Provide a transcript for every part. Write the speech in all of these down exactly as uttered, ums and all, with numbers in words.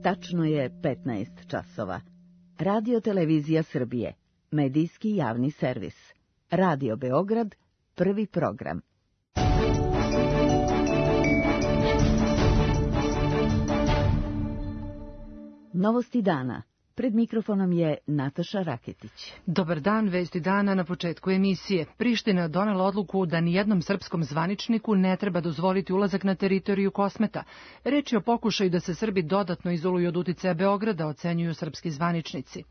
Tačno je petnaest časova. Radio Televizija Srbije, medijski javni servis. Radio Beograd, prvi program. Novosti dana. Pred mikrofonom je Nataša Raketić. Dobar dan, vesti dana na početku emisije. Priština je donela odluku da nijednom srpskom zvaničniku ne treba dozvoliti ulazak na teritoriju Kosmeta. Reč je o pokušaju da se Srbi dodatno izoluju od uticaja Beograda, ocenjuju srpski zvaničnici.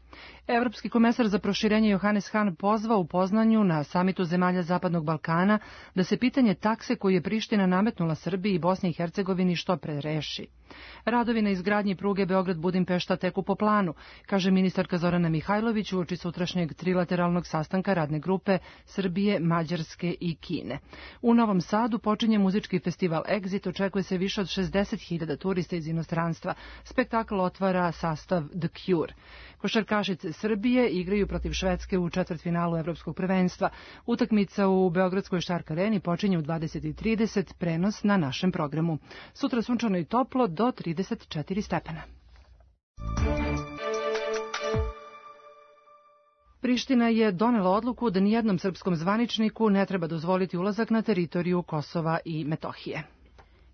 Evropski komesar za proširenje Johannes Hahn pozvao u Poznanju na samitu zemalja Zapadnog Balkana da se pitanje takse koju je Priština nametnula Srbiji i Bosni i Hercegovini što pre reši. Radovi na izgradnji pruge Beograd-Budimpešta teku po planu, kaže ministarka Zorana Mihajlović uoči sutrašnjeg trilateralnog sastanka radne grupe Srbije, Mađarske i Kine. U Novom Sadu počinje muzički festival Exit, očekuje se više od šezdeset hiljada turista iz inostranstva. Spektakl otvara sastav The Cure. Košarkašice Srbije igraju protiv Švedske u četvrtfinalu Evropskog prvenstva. Utakmica u Beogradskoj Štark areni počinje u dvadeset i trideset, prenos na našem programu. Sutra sunčano i toplo do trideset četiri stepena. Priština je donela odluku da nijednom srpskom zvaničniku ne treba dozvoliti ulazak na teritoriju Kosova i Metohije.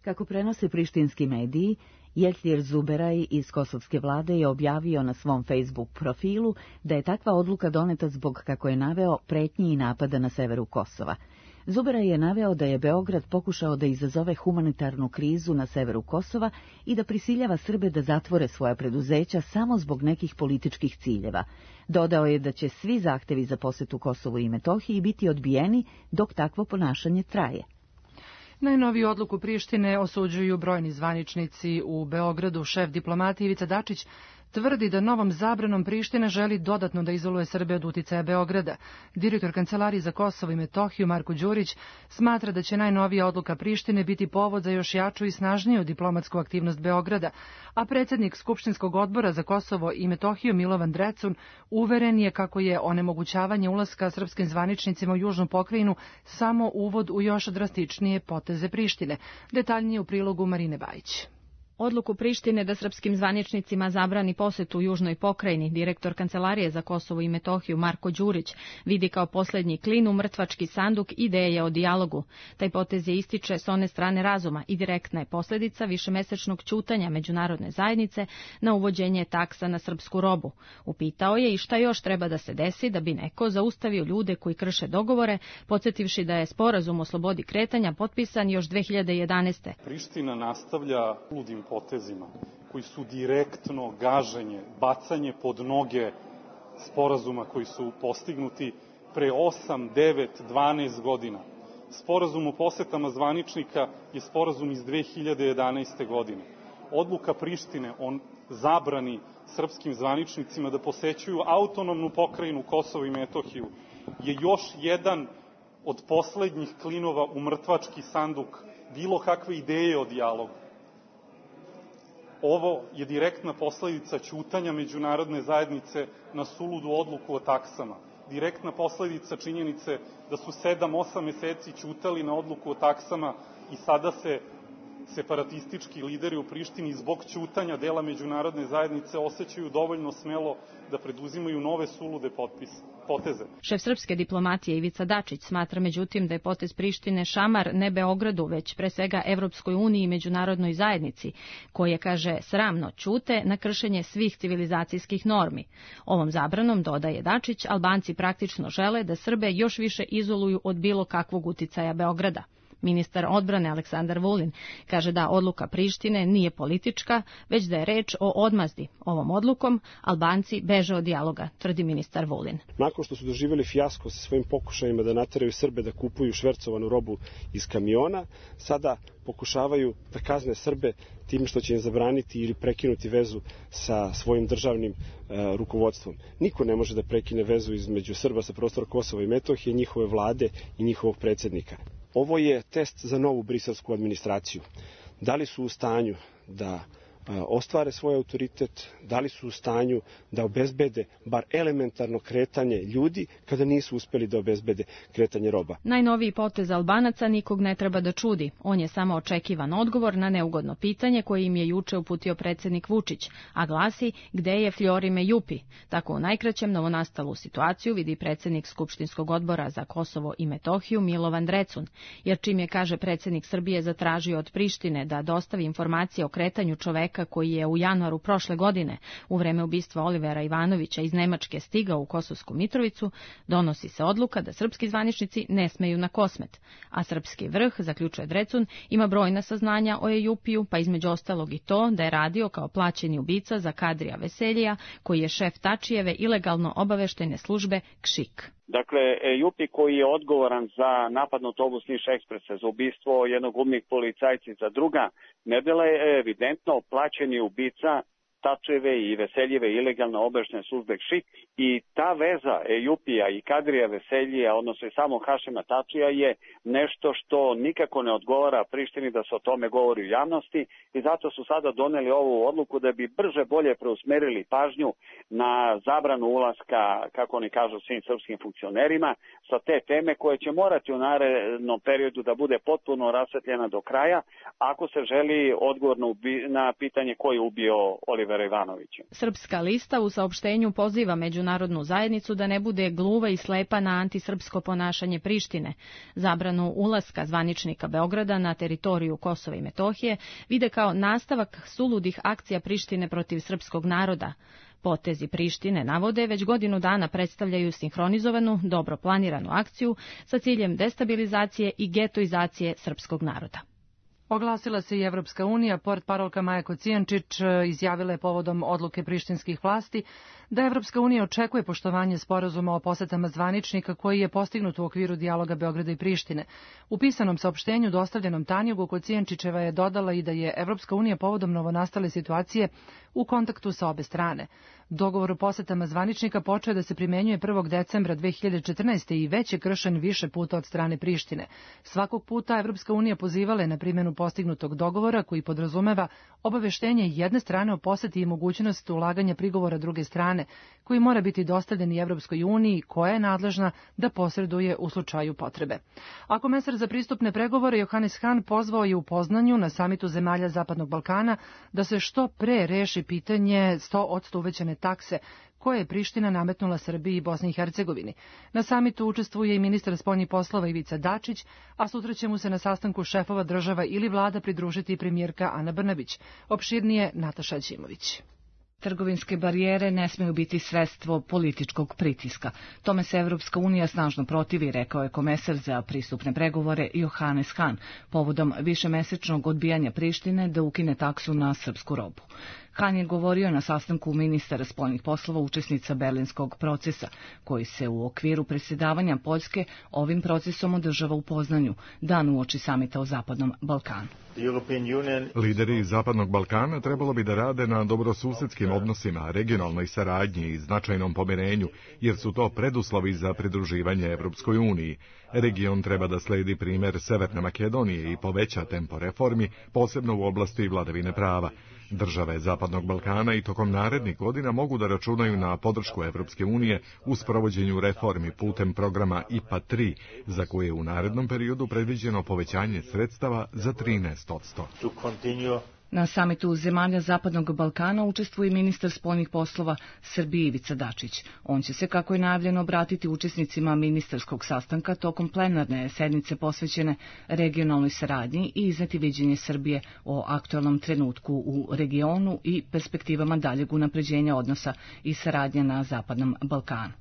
Kako prenose prištinski mediji, Jeltlir Zuberaj iz kosovske vlade je objavio na svom Facebook profilu da je takva odluka doneta zbog, kako je naveo, pretnji i napada na severu Kosova. Zuberaj je naveo da je Beograd pokušao da izazove humanitarnu krizu na severu Kosova i da prisiljava Srbe da zatvore svoja preduzeća samo zbog nekih političkih ciljeva. Dodao je da će svi zahtevi za posetu Kosovu i Metohiji biti odbijeni dok takvo ponašanje traje. Najnoviju odluku Prištine osuđuju brojni zvaničnici u Beogradu. Šef diplomatije Ivica Dačić tvrdi da novom zabranom Priština želi dodatno da izoluje Srbe od uticaja Beograda. Direktor Kancelarije za Kosovo i Metohiju Marko Đurić smatra da će najnovija odluka Prištine biti povod za još jaču i snažniju diplomatsku aktivnost Beograda, a predsjednik Skupštinskog odbora za Kosovo i Metohiju Milovan Drecun uveren je kako je onemogućavanje ulaska srpskim zvaničnicima u južnu pokrajinu samo uvod u još drastičnije poteze Prištine. Detaljnije u prilogu Marine Bajić. Odluku Prištine da srpskim zvaničnicima zabrani posetu u južnoj pokrajini direktor Kancelarije za Kosovo i Metohiju Marko Đurić vidi kao posljednji klin u mrtvački sanduk ideje o dijalogu. Taj potez je ističe s one strane razuma i direktna je posljedica višemesečnog ćutanja međunarodne zajednice na uvođenje taksa na srpsku robu. Upitao je i šta još treba da se desi da bi neko zaustavio ljude koji krše dogovore, podsjetivši da je sporazum o slobodi kretanja potpisan još dve hiljade jedanaeste. Priština nastavlja ludim potezima koji su direktno gaženje, bacanje pod noge sporazuma koji su postignuti pre osam, devet, dvanaest godina. Sporazum o posetama zvaničnika je sporazum iz dve hiljade jedanaeste. godine. Odluka Prištine o zabrani srpskim zvaničnicima da posećuju autonomnu pokrajinu Kosovo i Metohiju je još jedan od poslednjih klinova u mrtvački sanduk bilo kakve ideje o dijalogu. Ovo je direktna posledica ćutanja međunarodne zajednice na suludu odluku o taksama. Direktna posledica činjenice da su sedam, osam meseci ćutali na odluku o taksama i sada se separatistički lideri u Prištini zbog ćutanja dela međunarodne zajednice osjećaju dovoljno smelo da preduzimaju nove sulude potpis, poteze. Šef srpske diplomatije Ivica Dačić smatra međutim da je potez Prištine šamar ne Beogradu, već pre svega Evropskoj uniji i međunarodnoj zajednici, koje, kaže, sramno ćute na kršenje svih civilizacijskih normi. Ovom zabranom, dodaje Dačić, Albanci praktično žele da Srbe još više izoluju od bilo kakvog uticaja Beograda. Ministar odbrane Aleksandar Vulin kaže da odluka Prištine nije politička, već da je reč o odmazdi. Ovom odlukom Albanci beže od dijaloga, tvrdi ministar Vulin. Nakon što su doživjeli fijasko sa svojim pokušajima da nateraju Srbe da kupuju švercovanu robu iz kamiona, sada pokušavaju da kazne Srbe tim što će im zabraniti ili prekinuti vezu sa svojim državnim e, rukovodstvom. Niko ne može da prekine vezu između Srba sa prostora Kosova i Metohije, njihove vlade i njihovog predsjednika. Ovo je test za novu briselsku administraciju. Da li su u stanju da ostvare svoj autoritet, da li su u stanju da obezbede bar elementarno kretanje ljudi kada nisu uspeli da obezbede kretanje roba. Najnoviji potez Albanaca nikog ne treba da čudi. On je samo očekivan odgovor na neugodno pitanje koje im je juče uputio predsjednik Vučić, a glasi gde je Fljorime Jupi. Tako u najkraćem novonastalu situaciju vidi predsjednik Skupštinskog odbora za Kosovo i Metohiju Milovan Drecun, jer čim je, kaže predsjednik Srbije, zatražio od Prištine da dostavi informacije o kretanju čoveka koji je u januaru prošle godine u vreme ubistva Olivera Ivanovića iz Nemačke stigao u Kosovsku Mitrovicu, donosi se odluka da srpski zvaničnici ne smeju na Kosmet, a srpski vrh, zaključuje Drecun, ima brojna saznanja o Ejupiju, pa između ostalog i to da je radio kao plaćeni ubica za Kadrija Veseljija, koji je šef Tačijeve ilegalno obaveštene službe KŠIK. Dakle, Ejupi koji je odgovoran za napad na autobus Niš Ekspresa, za ubistvo jednog umnih policajci, za druga nedela je evidentno plaćeni ubica Tačijeve i Veseljeve ilegalno obaveštene službe KŠIK i ta veza Ejupija i Kadrija Veseljija, odnosno i samog Hašima Tačija, je nešto što nikako ne odgovara Prištini da se o tome govori u javnosti i zato su sada doneli ovu odluku da bi brže bolje preusmerili pažnju na zabranu ulaska, kako oni kažu, svim srpskim funkcionerima sa te teme koje će morati u narednom periodu da bude potpuno rasvetljena do kraja ako se želi odgovor na pitanje ko je ubio Olivera Ivanovića. Srpska lista u saopštenju poziva međunarodnu zajednicu da ne bude gluva i slepa na antisrpsko ponašanje Prištine. Zabranu ulaska zvaničnika Beograda na teritoriju Kosova i Metohije vide kao nastavak suludih akcija Prištine protiv srpskog naroda. Potezi Prištine, navode, već godinu dana predstavljaju sinhronizovanu, dobro planiranu akciju sa ciljem destabilizacije i getoizacije srpskog naroda. Oglasila se i Evropska unija, portparolka Maja Kocijančić izjavila je povodom odluke prištinskih vlasti da Evropska unija očekuje poštovanje sporazuma o posetama zvaničnika koji je postignut u okviru dijaloga Beograda i Prištine. U pisanom saopštenju dostavljenom Tanjugu, Kocijančićeva je dodala i da je Evropska unija povodom novonastale situacije u kontaktu sa obe strane. Dogovor o posetama zvaničnika počeo da se primenjuje prvog decembra dve hiljade četrnaeste. i već je kršen više puta od strane Prištine. Svakog puta Evropska unija pozivala je na primjenu postignutog dogovora koji podrazumeva obaveštenje jedne strane o poseti i mogućnost ulaganja prigovora druge strane, koji mora biti dostavljen i Evropskoj uniji koja je nadležna da posreduje u slučaju potrebe. A komesar za pristupne pregovore Johannes Hahn pozvao je u Poznanju na samitu zemalja Zapadnog Balkana da se što pre reši pitanje sto posto uvećane takse koje je Priština nametnula Srbiji i Bosni i Hercegovini. Na samitu učestvuje i ministar spoljnih poslova Ivica Dačić, a sutra će mu se na sastanku šefova država ili vlada pridružiti i premijerka Ana Brnabić. Opširnije Nataša Ćimović. Trgovinske barijere ne smiju biti sredstvo političkog pritiska. Tome se Evropska unija snažno protivi, rekao je komesar za pristupne pregovore Johannes Hahn, povodom višemesečnog odbijanja Prištine da ukine taksu na srpsku robu. Hahn je govorio na sastanku ministara spoljnih poslova učesnica berlinskog procesa, koji se u okviru predsjedavanja Poljske ovim procesom održava u Poznanju, dan uoči samita o Zapadnom Balkanu. Lideri Zapadnog Balkana trebalo bi da rade na dobrosusedskim odnosima, regionalnoj saradnji i značajnom pomirenju, jer su to preduslovi za pridruživanje Evropskoj uniji. Region treba da sledi primjer Severne Makedonije i poveća tempo reformi, posebno u oblasti vladavine prava. Države Zapadnog Balkana i tokom narednih godina mogu da računaju na podršku Evropske unije u sprovođenju reformi putem programa I P A tri, za koje je u narednom periodu predviđeno povećanje sredstava za trinaest posto. Na samitu zemalja Zapadnog Balkana učestvuje ministar spoljnih poslova Srbije Ivica Dačić. On će se, kako je najavljeno, obratiti učesnicima ministarskog sastanka tokom plenarne sednice posvećene regionalnoj saradnji i izneti viđenje Srbije o aktualnom trenutku u regionu i perspektivama daljeg unapređenja odnosa i saradnje na Zapadnom Balkanu.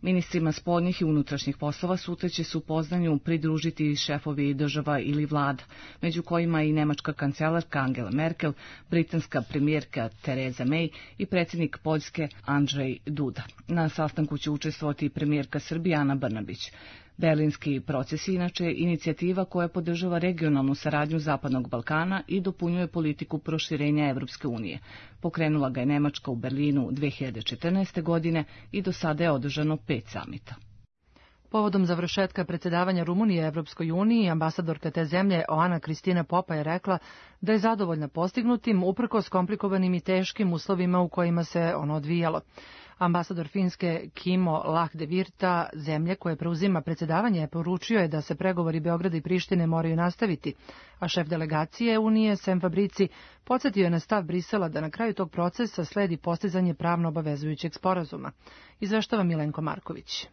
Ministrima spoljnih i unutrašnjih poslova sutra će se u Poznanju pridružiti šefovi država ili vlada, među kojima i nemačka kancelarka Angela Merkel, britanska premijerka Theresa May i predsjednik Poljske Andrzej Duda. Na sastanku će učestvovati i premijerka Srbije Ana Brnabić. Berlinski proces je inače inicijativa koja podržava regionalnu saradnju Zapadnog Balkana i dopunjuje politiku proširenja Evropske unije. Pokrenula ga je Nemačka u Berlinu dve hiljade četrnaeste. godine i do sada je održano pet samita. Povodom završetka predsjedavanja Rumunije Evropskoj uniji, ambasadorka te zemlje Oana Kristina Popa je rekla da je zadovoljna postignutim uprkos komplikovanim i teškim uslovima u kojima se ono odvijalo. Ambasador Finske Kimo Lahdevirta, zemlje koje preuzima predsjedavanje, poručio je da se pregovori Beograda i Prištine moraju nastaviti, a šef delegacije Unije Sem Fabrici podsjetio je na stav Brisela da na kraju tog procesa sledi postizanje pravno obavezujućeg sporazuma. Izveštava Milenko Marković.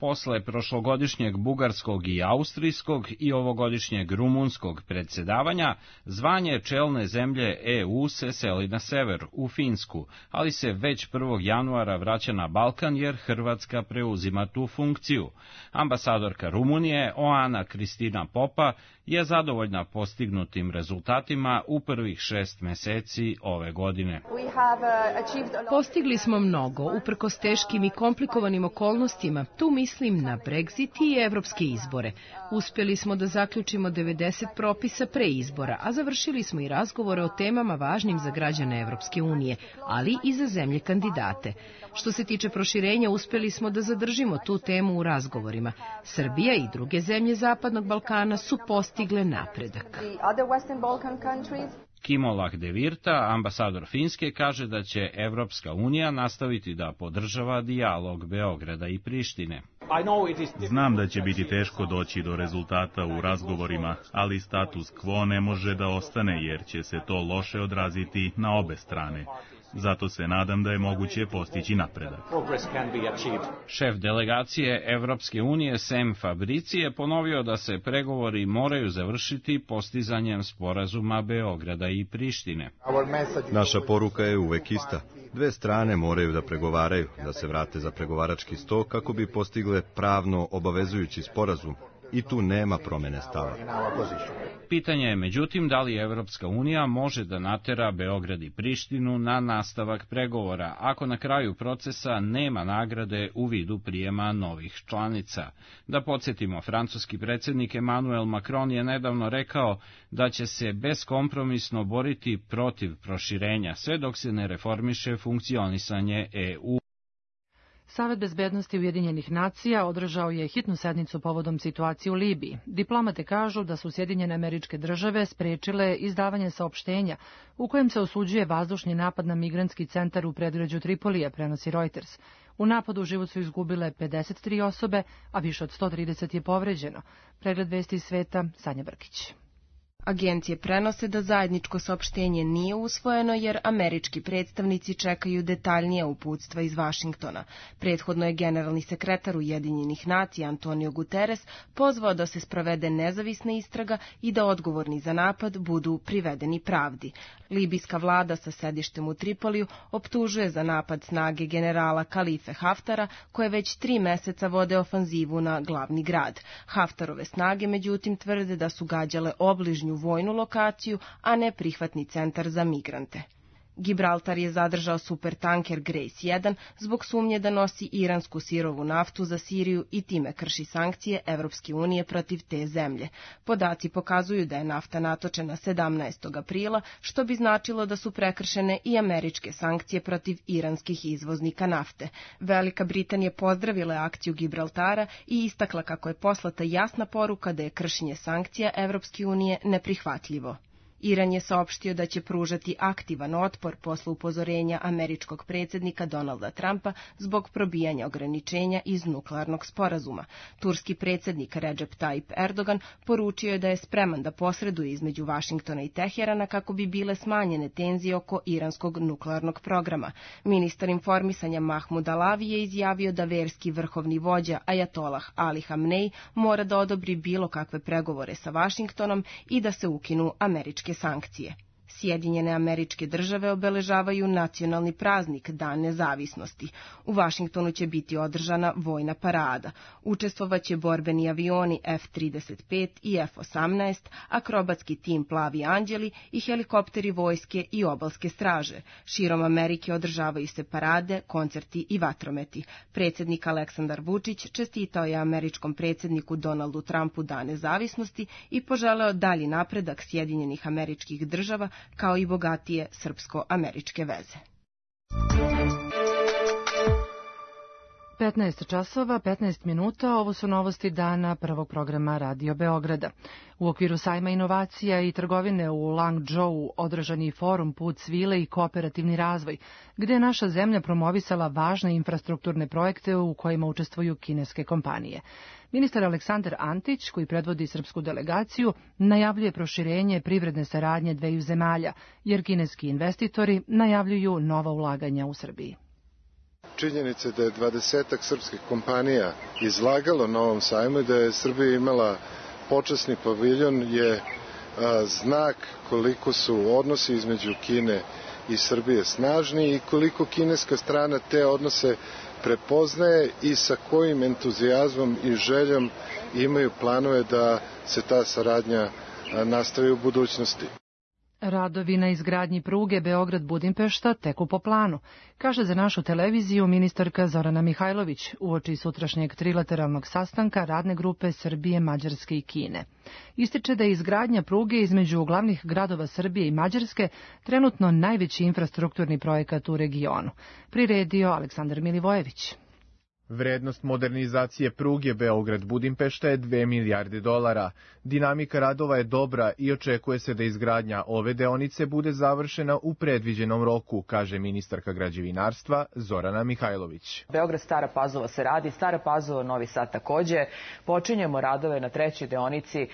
Posle prošlogodišnjeg bugarskog i austrijskog i ovogodišnjeg rumunskog predsjedavanja, zvanje čelne zemlje E U se seli na sever, u Finsku, ali se već prvog januara vraća na Balkan jer Hrvatska preuzima tu funkciju. Ambasadorka Rumunije, Oana Kristina Popa, je zadovoljna postignutim rezultatima u prvih šest meseci ove godine. Postigli smo mnogo, uprkos teškim i komplikovanim okolnostima. Tu mislim na Brexit i evropske izbore. Uspjeli smo da zaključimo devedeset propisa pre izbora, a završili smo i razgovore o temama važnim za građane Evropske unije, ali i za zemlje kandidate. Što se tiče proširenja, uspjeli smo da zadržimo tu temu u razgovorima. Srbija i druge zemlje Zapadnog Balkana su postigle napredak. Kimo Lahdevirta, ambasador Finske, kaže da će Evropska unija nastaviti da podržava dijalog Beograda i Prištine. Znam da će biti teško doći do rezultata u razgovorima, ali status quo ne može da ostane jer će se to loše odraziti na obe strane. Zato se nadam da je moguće postići napredak. Šef delegacije Evropske unije Sem Fabrici je ponovio da se pregovori moraju završiti postizanjem sporazuma Beograda i Prištine. Naša poruka je uvek ista. Dve strane moraju da pregovaraju, da se vrate za pregovarački sto kako bi postigle pravno obavezujući sporazum. I tu nema promene stava. Pitanje je međutim da li Evropska unija može da natera Beograd i Prištinu na nastavak pregovora, ako na kraju procesa nema nagrade u vidu prijema novih članica. Da podsjetimo, francuski predsjednik Emmanuel Macron je nedavno rekao da će se beskompromisno boriti protiv proširenja, sve dok se ne reformiše funkcionisanje E U. Savet bezbednosti Ujedinjenih nacija održao je hitnu sednicu povodom situacije u Libiji. Diplomate kažu da su Sjedinjene Američke Države sprečile izdavanje saopštenja u kojem se osuđuje vazdušni napad na migrantski centar u predgrađu Tripolija, prenosi Reuters. U napadu život su izgubile pedeset tri osobe, a više od sto trideset je povređeno. Pregled vesti iz sveta, Sanja Brkić. Agencije prenose da zajedničko saopštenje nije usvojeno jer američki predstavnici čekaju detaljnija uputstva iz Vašingtona. Prethodno je generalni sekretar Ujedinjenih nacija Antonio Guterres pozvao da se sprovede nezavisna istraga i da odgovorni za napad budu privedeni pravdi. Libijska vlada sa sedištem u Tripoliju optužuje za napad snage generala Kalife Haftara, koje već tri meseca vode ofanzivu na glavni grad. Haftarove snage međutim tvrde da su gađale obližnju vojnu lokaciju, a ne prihvatni centar za migrante. Gibraltar je zadržao supertanker Grace jedan zbog sumnje da nosi iransku sirovu naftu za Siriju i time krši sankcije Evropske unije protiv te zemlje. Podaci pokazuju da je nafta natočena sedamnaestog aprila, što bi značilo da su prekršene i američke sankcije protiv iranskih izvoznika nafte. Velika Britanija pozdravila akciju Gibraltara i istakla kako je poslata jasna poruka da je kršenje sankcija Evropske unije neprihvatljivo. Iran je saopštio da će pružati aktivan otpor posle upozorenja američkog predsjednika Donalda Trumpa zbog probijanja ograničenja iz nuklearnog sporazuma. Turski predsjednik Recep Tayyip Erdogan poručio je da je spreman da posreduje između Vašingtona i Teherana kako bi bile smanjene tenzije oko iranskog nuklearnog programa. Ministar informisanja Mahmud Alavi je izjavio da verski vrhovni vođa Ajatolah Ali Hamnej mora da odobri bilo kakve pregovore sa Vašingtonom i da se ukinu američke sankcije. Sjedinjene Američke Države obeležavaju nacionalni praznik Dan nezavisnosti. U Vašingtonu će biti održana vojna parada. Učestvovaće borbeni avioni F trideset pet i F osamnaest, akrobatski tim Plavi anđeli i helikopteri vojske i obalske straže. Širom Amerike održavaju se parade, koncerti i vatrometi. Predsjednik Aleksandar Vučić čestitao je američkom predsjedniku Donaldu Trumpu Dan nezavisnosti i poželeo dalji napredak Sjedinjenih Američkih Država kao i bogatije srpsko-američke veze. petnaest časova, petnaest minuta, ovo su novosti dana prvog programa Radio Beograda. U okviru sajma inovacija i trgovine u Langzhou održan je forum Put svile i kooperativni razvoj, gde je naša zemlja promovisala važne infrastrukturne projekte u kojima učestvuju kineske kompanije. Ministar Aleksandar Antić, koji predvodi srpsku delegaciju, najavljuje proširenje privredne saradnje dveju zemalja, jer kineski investitori najavljuju nova ulaganja u Srbiji. Činjenica da je dvadesetak srpskih kompanija izlagalo na ovom sajmu i da je Srbija imala počasni paviljon je a, znak koliko su odnosi između Kine i Srbije snažni i koliko kineska strana te odnose prepoznaje i sa kojim entuzijazmom i željom imaju planove da se ta saradnja nastavi u budućnosti. Radovi na izgradnji pruge Beograd-Budimpešta teku po planu, kaže za našu televiziju ministarka Zorana Mihajlović uoči sutrašnjeg trilateralnog sastanka radne grupe Srbije, Mađarske i Kine. Ističe da je izgradnja pruge između glavnih gradova Srbije i Mađarske trenutno najveći infrastrukturni projekat u regionu. Priredio Aleksandar Milivojević. Vrednost modernizacije pruge Beograd-Budimpešta je dve milijarde dolara. Dinamika radova je dobra i očekuje se da izgradnja ove deonice bude završena u predviđenom roku, kaže ministarka građevinarstva Zorana Mihajlović. Beograd-Stara Pazova se radi, Stara Pazova, Novi Sad takođe. Počinjemo radove na trećoj deonici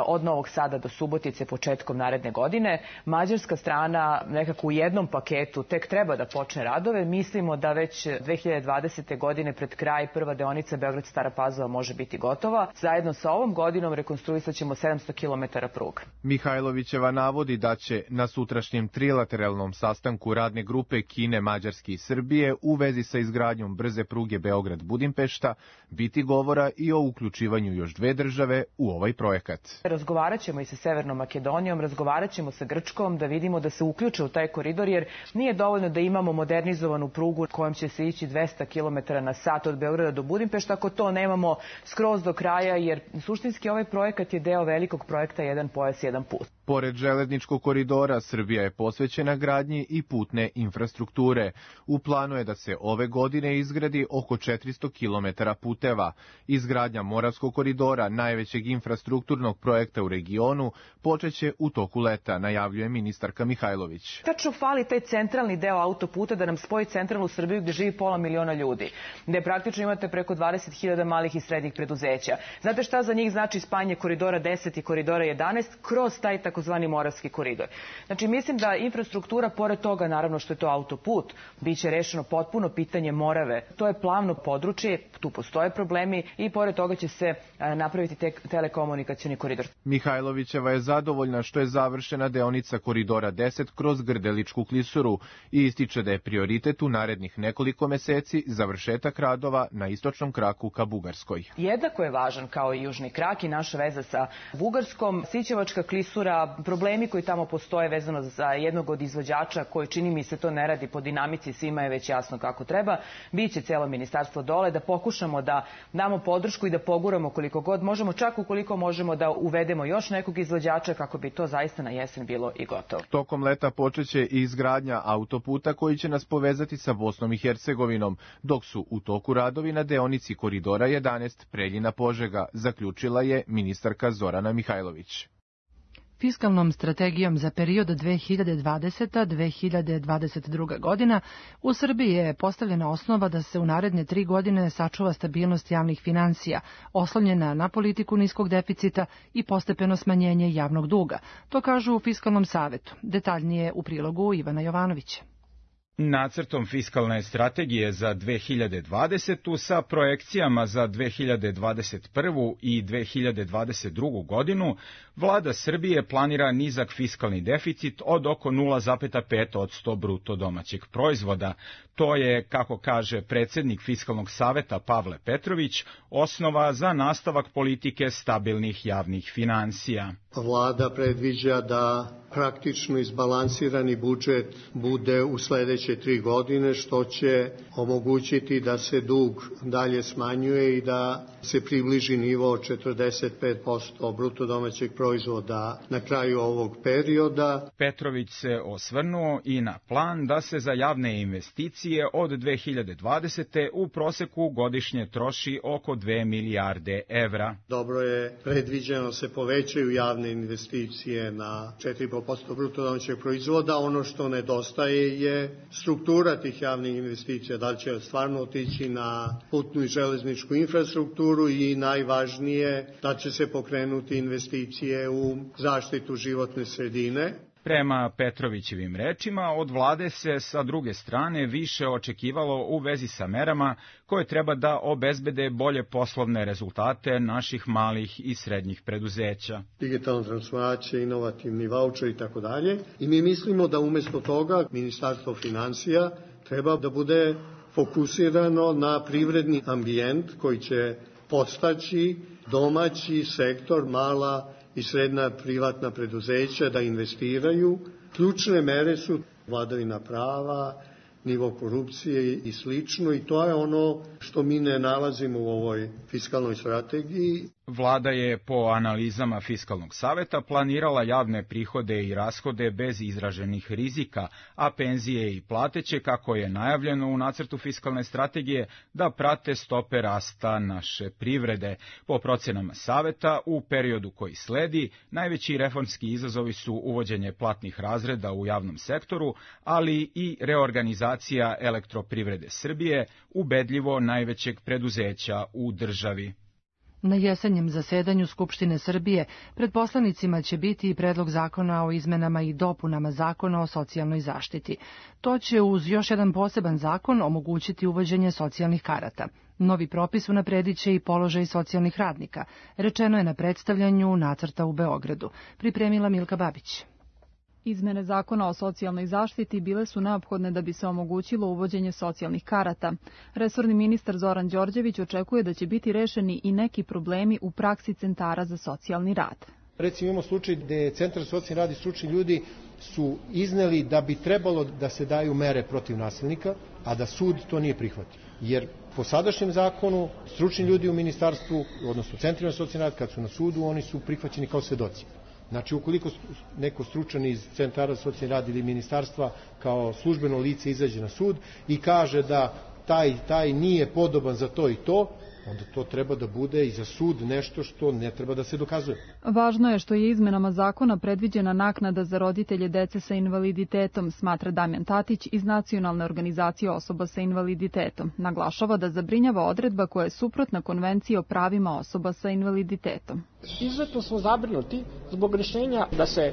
od Novog Sada do Subotice početkom naredne godine. Mađarska strana nekako u jednom paketu tek treba da počne radove. Mislimo da već dve hiljade dvadesete. godine pred kraj prva deonica Beograd-Stara Pazova može biti gotova. Zajedno sa ovom godinom rekonstruisat ćemo sedamsto kilometara pruga. Mihajlovićeva navodi da će na sutrašnjem trilateralnom sastanku radne grupe Kine, Mađarske i Srbije u vezi sa izgradnjom brze pruge Beograd-Budimpešta biti govora i o uključivanju još dve države u ovaj projekat. Razgovarat ćemo i sa Severnom Makedonijom, razgovarat ćemo sa Grčkom da vidimo da se uključe u taj koridor, jer nije dovoljno da imamo modernizovanu prugu kojom će se ići dvesta kilometara na sat od Beograda do Budimpešta, ako to nemamo skroz do kraja, jer suštinski ovaj projekat je deo velikog projekta Jedan pojas, jedan put. Pored železničkog koridora, Srbija je posvećena gradnji i putne infrastrukture. U planu je da se ove godine izgradi oko četiristo kilometara puteva. Izgradnja Moravskog koridora, najvećeg infrastrukturnog projekta u regionu, počeće u toku leta, najavljuje ministarka Mihajlović. Tačno fali taj centralni deo autoputa da nam spoji centralnu Srbiju gde živi pola miliona ljudi, gde praktično imate preko dvadeset hiljada malih i srednjih preduzeća. Znate šta za njih znači spajanje koridora deset i koridora jedanaest kroz taj takozvani Moravski koridor. Znači, mislim da infrastruktura, pored toga, naravno što je to autoput, biće rešeno potpuno pitanje Morave. To je plavno područje, tu postoje problemi i pored toga će se napraviti te telekomunikacioni koridor. Mihajlovićeva je zadovoljna što je završena deonica koridora deset kroz Grdeličku klisuru i ističe da je prioritet u narednih nekoliko meseci završetak radova na istočnom kraku ka Bugarskoj. Jednako je važan kao i južni krak i naša veza sa Bugarskom. Sićevačka klisura, problemi koji tamo postoje vezano za jednog od izvođača koji, čini mi se, to ne radi po dinamici, svima je već jasno kako treba. Biće celo ministarstvo dole da pokušamo da damo podršku i da poguramo koliko god možemo, čak ukoliko možemo da uvedemo još nekog izvođača kako bi to zaista na jesen bilo i gotovo. Tokom leta počeće i izgradnja autoputa koji će nas povezati sa Bosnom i Hercegovinom, dok su u toku radovi na deonici koridora jedanaest Preljina-Požega, zaključila je ministarka Zorana Mihajlović. Fiskalnom strategijom za period dve hiljade dvadeseta do dve hiljade dvadeset druga. godina u Srbiji je postavljena osnova da se u naredne tri godine sačuva stabilnost javnih finansija, oslonjena na politiku niskog deficita i postepeno smanjenje javnog duga. To kažu u Fiskalnom savetu. Detaljnije u prilogu Ivana Jovanovića. Nacrtom fiskalne strategije za dve hiljade dvadesetu sa projekcijama za dve hiljade dvadeset prvu. i dve hiljade dvadeset drugu. godinu, vlada Srbije planira nizak fiskalni deficit od oko nula zarez pet posto bruto domaćeg proizvoda. To je, kako kaže predsjednik Fiskalnog saveta Pavle Petrović, osnova za nastavak politike stabilnih javnih finansija. Vlada predviđa da praktično izbalansirani budžet bude u sledećoj sledeće tri godine, što će omogućiti da se dug dalje smanjuje i da se približi nivo četrdeset pet posto bruto domaćeg proizvoda na kraju ovog perioda. Petrović se osvrnuo i na plan da se za javne investicije od dve hiljade dvadesete. u proseku godišnje troši oko dve milijarde evra. Dobro je predviđeno se povećaju javne investicije na četiri i po posto bruto domaćeg proizvoda. Ono što nedostaje je struktura tih javnih investicija, da li će stvarno otići na putnu i železničku infrastrukturu i najvažnije da će se pokrenuti investicije u zaštitu životne sredine. Prema Petrovićevim rečima, od vlade se sa druge strane više očekivalo u vezi sa merama koje treba da obezbede bolje poslovne rezultate naših malih i srednjih preduzeća. Digitalna transformacija, inovativni vaučer i tako dalje. I mi mislimo da umesto toga Ministarstvo finansija treba da bude fokusirano na privredni ambijent koji će podstaći domaći sektor, mala i srednja privatna preduzeća da investiraju. Ključne mere su vladavina prava, nivo korupcije i slično, i to je ono što mi ne nalazimo u ovoj fiskalnoj strategiji. Vlada je po analizama Fiskalnog saveta planirala javne prihode i rashode bez izraženih rizika, a penzije i plate će, kako je najavljeno u nacrtu fiskalne strategije, da prate stope rasta naše privrede. Po procenama saveta, u periodu koji sledi, najveći reformski izazovi su uvođenje platnih razreda u javnom sektoru, ali i reorganizacija Elektroprivrede Srbije, ubedljivo najvećeg preduzeća u državi. Na jesenjem zasedanju Skupštine Srbije pred poslanicima će biti i predlog zakona o izmenama i dopunama zakona o socijalnoj zaštiti. To će uz još jedan poseban zakon omogućiti uvođenje socijalnih karata. Novi propis unapredit će i položaj socijalnih radnika, rečeno je na predstavljanju nacrta u Beogradu. Pripremila Milka Babić. Izmene zakona o socijalnoj zaštiti bile su neophodne da bi se omogućilo uvođenje socijalnih karata. Resorni ministar Zoran Đorđević očekuje da će biti rešeni i neki problemi u praksi centara za socijalni rad. Recimo imamo slučaj gde Centar za socijalni rad i stručni ljudi su izneli da bi trebalo da se daju mere protiv nasilnika, a da sud to nije prihvatio. Jer po sadašnjem zakonu stručni ljudi u ministarstvu, odnosno centrima za socijalni rad, kad su na sudu, oni su prihvaćeni kao svedoci. Znači, ukoliko neko stručan iz centara za socijalni rad ili ministarstva kao službeno lice izađe na sud i kaže da taj, taj nije podoban za to i to, onda to treba da bude i za sud nešto što ne treba da se dokazuje. Važno je što je izmenama zakona predviđena naknada za roditelje dece sa invaliditetom, smatra Damjan Tatić iz Nacionalne organizacije osoba sa invaliditetom. Naglašava da zabrinjava odredba koja je suprotna Konvenciji o pravima osoba sa invaliditetom. Izuzetno smo zabrinuti zbog rešenja da se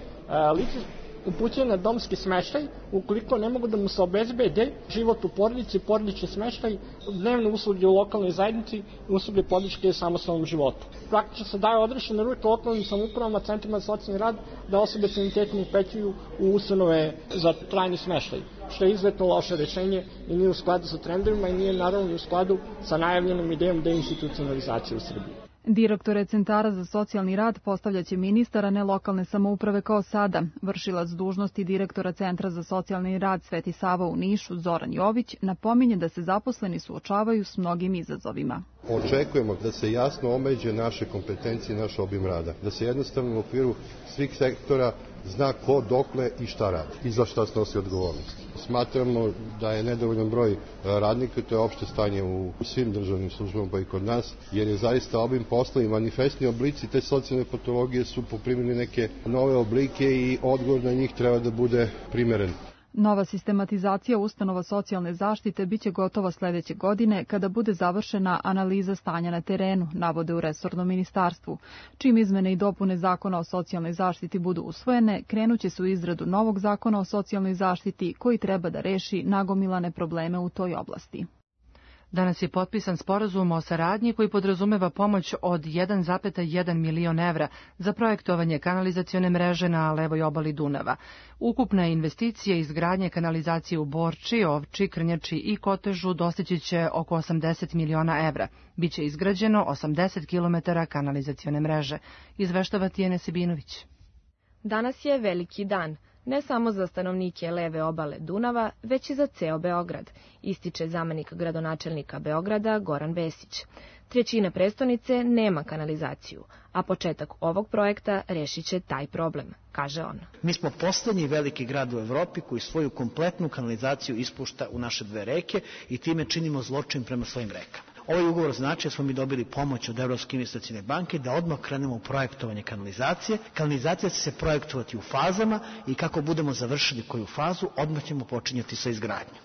lice upućuje na domski smeštaj ukoliko ne mogu da mu se obezbede život u porodici, porodični smeštaj, dnevne usluge u lokalnoj zajednici i usluge podrške samostalnom životu. Praktično se daje odrešene ruke lokalnim samoupravama, centrima za socijalni rad da osobe s invaliditetom upećuju u ustanove za trajni smeštaj, što je izuzetno loše rešenje i nije u skladu sa trendovima i nije naravno u skladu sa najavljenom idejom deinstitucionalizacije u Srbiji. Direktore centara za socijalni rad postavljaće ministar, a ne lokalne samouprave kao sada. Vršilac dužnosti direktora Centra za socijalni rad Sveti Sava u Nišu, Zoran Jović, napominje da se zaposleni suočavaju s mnogim izazovima. Očekujemo da se jasno omeđe naše kompetencije i naš obim rada, da se jednostavno u okviru svih sektora zna ko, dokle i šta radi i za šta snosi odgovornost. Smatramo da je nedovoljan broj radnika, to je opšte stanje u svim državnim službama pa i kod nas, jer je zaista obim posla i manifestni oblici te socijalne patologije su poprimili neke nove oblike i odgovor na njih treba da bude primeren. Nova sistematizacija ustanova socijalne zaštite biće gotova sledeće godine kada bude završena analiza stanja na terenu, navode u resornom ministarstvu. Čim izmene i dopune zakona o socijalnoj zaštiti budu usvojene, krenuće se u izradu novog zakona o socijalnoj zaštiti koji treba da reši nagomilane probleme u toj oblasti. Danas je potpisan sporazum o saradnji koji podrazumeva pomoć od jedan zarez jedan milion evra za projektovanje kanalizacione mreže na levoj obali Dunava. Ukupna investicija izgradnje kanalizacije u Borči, Ovči, Krnjači i Kotežu dostići će oko osamdeset miliona evra. Biće izgrađeno osamdeset kilometara kanalizacione mreže. Izveštava Tijana Sebinović. Danas je veliki dan. ne samo za stanovnike leve obale Dunava, već i za ceo Beograd, ističe zamenik gradonačelnika Beograda Goran Vesić. Trećina prestonice nema kanalizaciju, a početak ovog projekta rešit će taj problem, kaže on. Mi smo poslednji veliki grad u Evropi koji svoju kompletnu kanalizaciju ispušta u naše dve reke i time činimo zločin prema svojim rekama. Ovaj ugovor znači da smo mi dobili pomoć od Evropske investicione banke da odmah krenemo u projektovanje kanalizacije. Kanalizacija će se projektovati u fazama i kako budemo završili koju fazu, odmah ćemo počinjati sa izgradnjom.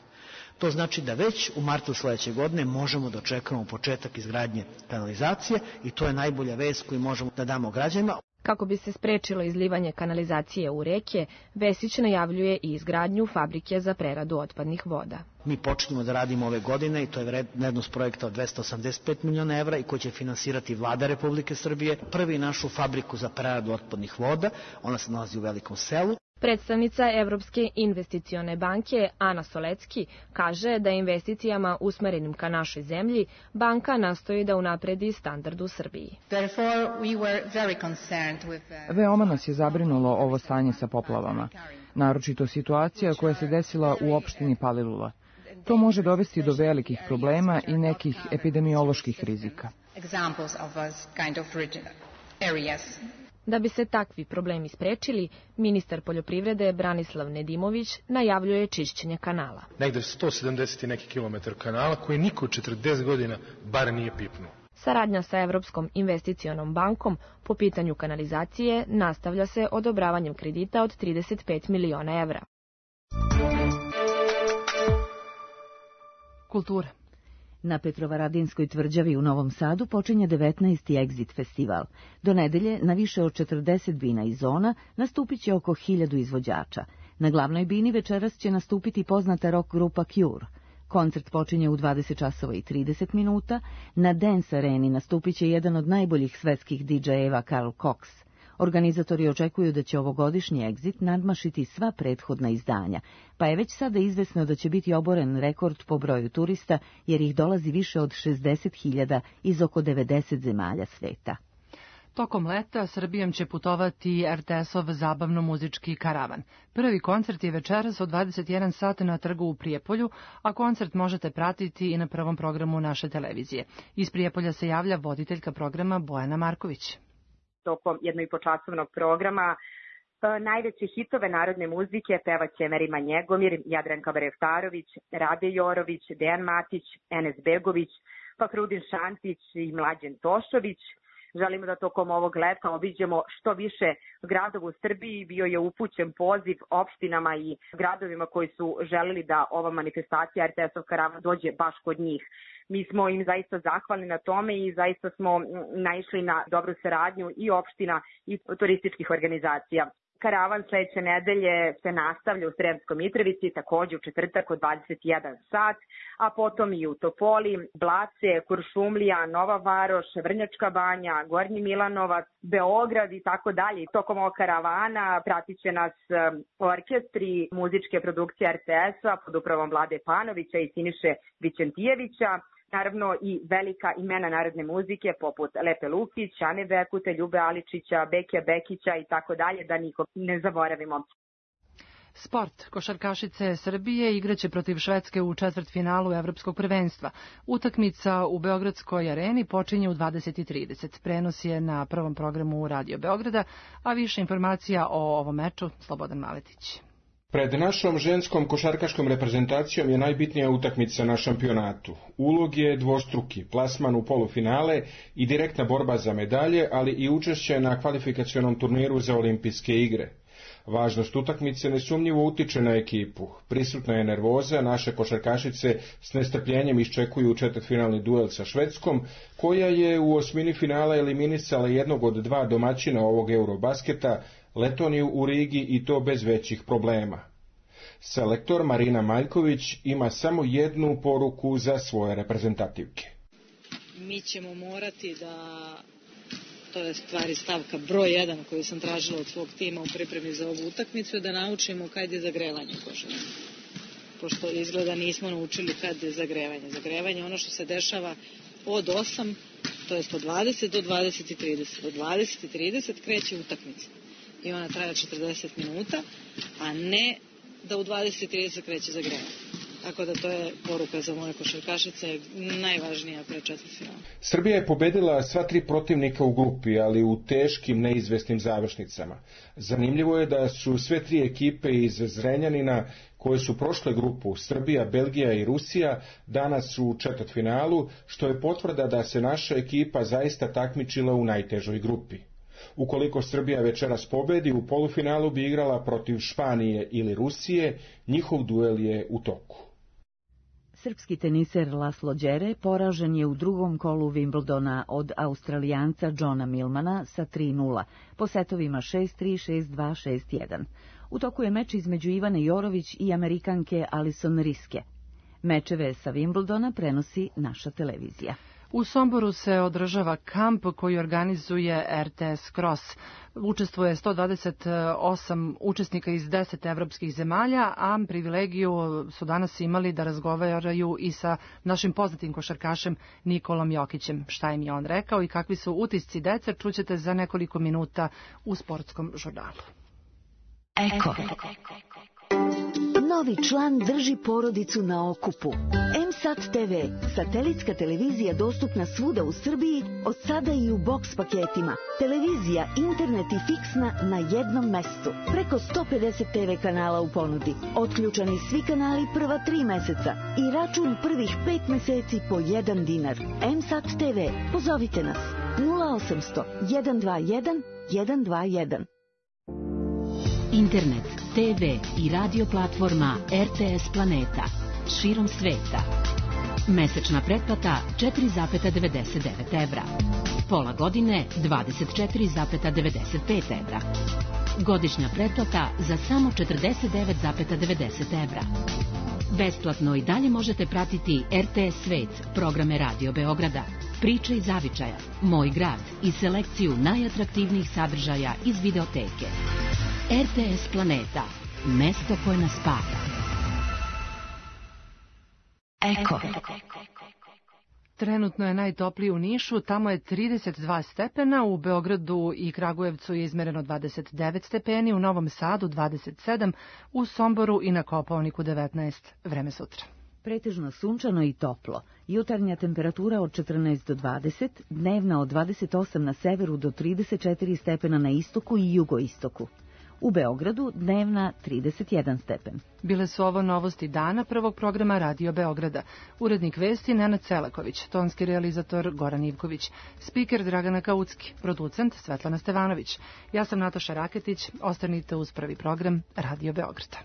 To znači da već u martu sledeće godine možemo da očekujemo početak izgradnje kanalizacije i to je najbolja vest koju možemo da damo građanima. Kako bi se sprečilo izlivanje kanalizacije u reke, Vesić najavljuje i izgradnju fabrike za preradu otpadnih voda. Mi počinjemo da radimo ove godine i to je vrednost projekta od dvesta osamdeset pet miliona evra i koji će finansirati Vlada Republike Srbije. Prvi našu fabriku za preradu otpadnih voda, ona se nalazi u Velikom Selu. Predstavnica Evropske investicione banke Ana Solecki kaže da investicijama usmerenim ka našoj zemlji banka nastoji da unapredi standard u Srbiji. Veoma nas je zabrinulo ovo stanje sa poplavama, naročito situacija koja se desila u opštini Palilula. To može dovesti do velikih problema i nekih epidemioloških rizika. Da bi se takvi problemi sprečili, ministar poljoprivrede Branislav Nedimović najavljuje čišćenje kanala. Negde sto sedamdeset i neki kilometar kanala koji niko četrdeset godina bar nije pipnuo. Saradnja sa Evropskom investicionom bankom po pitanju kanalizacije nastavlja se odobravanjem kredita od trideset pet miliona evra. Kultura. Na Petrovaradinskoj tvrđavi u Novom Sadu počinje devetnaesti Exit festival. Do nedelje na više od četrdeset bina i zona nastupit će oko hiljadu izvođača. Na glavnoj bini večeras će nastupiti poznata rock grupa Cure. Koncert počinje u dvadeset časova i trideset minuta. Na Dance Areni nastupit će jedan od najboljih svetskih didžejeva Carl Cox. Organizatori očekuju da će ovogodišnji Exit nadmašiti sva prethodna izdanja, pa je već sada izvesno da će biti oboren rekord po broju turista, jer ih dolazi više od šezdeset hiljada iz oko devedeset zemalja sveta. Tokom leta Srbijom će putovati er te esov zabavno-muzički karavan. Prvi koncert je večeras od dvadeset jedan sat na trgu u Prijepolju, a koncert možete pratiti i na prvom programu naše televizije. Iz Prijepolja se javlja voditeljka programa Bojana Marković. Tokom jednoipočasovnog programa najveće hitove narodne muzike pevaće Merima Njegomir, Jadranka Bareftarović, Rade Jorović, Dejan Matić, Enes Begović, Fahrudin Šantić i Mlađen Tošović. Želimo da tokom ovog leta obiđemo što više gradova u Srbiji. Bio je upućen poziv opštinama i gradovima koji su želeli da ova manifestacija er te esov karavan dođe baš kod njih. Mi smo im zaista zahvalni na tome i zaista smo naišli na dobru saradnju i opština i turističkih organizacija. Karavan sledeće nedelje se nastavlja u Sremskoj Mitrovici, takođe u četvrtak od dvadeset jedan sat, a potom i u Topoli, Blace, Kuršumlija, Nova Varoš, Vrnjačka Banja, Gornji Milanovac, Beograd i tako dalje. Tokom ovog karavana pratit će nas orkestri muzičke produkcije er te es-a pod upravom Vlade Panovića i Siniše Vićentijevića. Naravno i velika imena narodne muzike poput Lepe Lukić, Ane Bekute, Ljube Aličića, Bekija Bekića i tako dalje, da nikog ne zaboravimo. Sport. Košarkašice Srbije igraće protiv Švedske u četvrtfinalu Evropskog prvenstva. Utakmica u Beogradskoj areni počinje u dvadeset i trideset. Prenos je na prvom programu Radio Beograda, a više informacija o ovom meču Slobodan Maletić. Pred našom ženskom košarkaškom reprezentacijom je najbitnija utakmica na šampionatu. Ulog je dvostruki, plasman u polufinale i direktna borba za medalje, ali i učešće na kvalifikacionom turniru za olimpijske igre. Važnost utakmice nesumnjivo utiče na ekipu. Prisutna je nervoza, naše košarkašice s nestrpljenjem iščekuju četvrtfinalni duel sa Švedskom, koja je u osmini finala eliminisala jednog od dva domaćina ovog Eurobasketa, Letoniju u Rigi, i to bez većih problema. Selektor Marina Maljković ima samo jednu poruku za svoje reprezentativke. Mi ćemo morati da, to je stvari stavka broj jedan koju sam tražila od svog tima u pripremi za ovu utakmicu, da naučimo kad je zagrevanje košarke. Pošto izgleda nismo naučili kad je zagrevanje. Zagrevanje je ono što se dešava od osam, to jest od dvadeset do dvadeset i trideset. Od dvadeset i trideset kreće utakmica. i ona traje četrdeset minuta, a ne da u dvadeset trideset kreće zagrevanje. Tako da to je poruka za moje košarkašice, najvažnija pre četvrtfinala. Srbija je pobedila sva tri protivnika u grupi, ali u teškim, neizvesnim završnicama. Zanimljivo je da su sve tri ekipe iz Zrenjanina koje su prošle grupu, Srbija, Belgija i Rusija, danas u četvrtfinalu, što je potvrda da se naša ekipa zaista takmičila u najtežoj grupi. Ukoliko Srbija večeras pobedi, u polufinalu bi igrala protiv Španije ili Rusije, njihov duel je u toku. Srpski teniser Laslo Đere poražen je u drugom kolu Wimbledona od Australijanca Johna Millmana sa tri nula, po setovima šest tri, šest dva, šest jedan. U toku je meč između Ivane Jorović i Amerikanke Alison Riske. Mečeve sa Wimbledona prenosi naša televizija. U Somboru se održava kamp koji organizuje R T S Cross. Učestvuje sto dvadeset osam učesnika iz deset evropskih zemalja, a privilegiju su danas imali da razgovaraju i sa našim poznatim košarkašem Nikolom Jokićem. Šta im je on rekao i kakvi su utisci dece, čućete za nekoliko minuta u sportskom žurnalu. Eko. Novi član drži porodicu na okupu. M S A T T V, satelitska televizija dostupna svuda u Srbiji, od sada i u boks paketima. Televizija, internet i fiksna na jednom mestu. Preko sto pedeset T V kanala u ponudi. Otključani svi kanali prva tri meseca i račun prvih pet meseci po jedan dinar. M S A T T V, pozovite nas nula osamsto, jedan dva jedan, jedan dva jedan. Internet, T V i radio platforma R T S Planeta. Širom sveta. Mesečna pretplata četiri zarez devedeset devet evra. Pola godine dvadeset četiri zarez devedeset pet evra. Godišnja pretplata za samo četrdeset devet zarez devedeset evra. Besplatno i dalje možete pratiti R T S Svet, programe Radio Beograda, Priče iz zavičaja, Moj grad i selekciju najatraktivnijih sadržaja iz videoteke. R T S Planeta, mesto koje nas spaja. Eko. Trenutno je najtoplije u Nišu, tamo je trideset dva stepena, u Beogradu i Kragujevcu je izmereno dvadeset devet stepeni, u Novom Sadu dvadeset sedam, u Somboru i na Kopaoniku devetnaest. Vreme sutra. Pretežno sunčano i toplo. Jutarnja temperatura od četrnaest do dvadeset, dnevna od dvadeset osam na severu do trideset četiri stepena na istoku i jugoistoku. U Beogradu dnevna trideset jedan stepen. Bile su ovo novosti dana prvog programa Radio Beograda. Urednik vesti Nenad Celaković, tonski realizator Goran Ivković, spiker Dragana Kaucki, producent Svetlana Stevanović. Ja sam Nataša Raketić, ostanite uz prvi program Radio Beograda.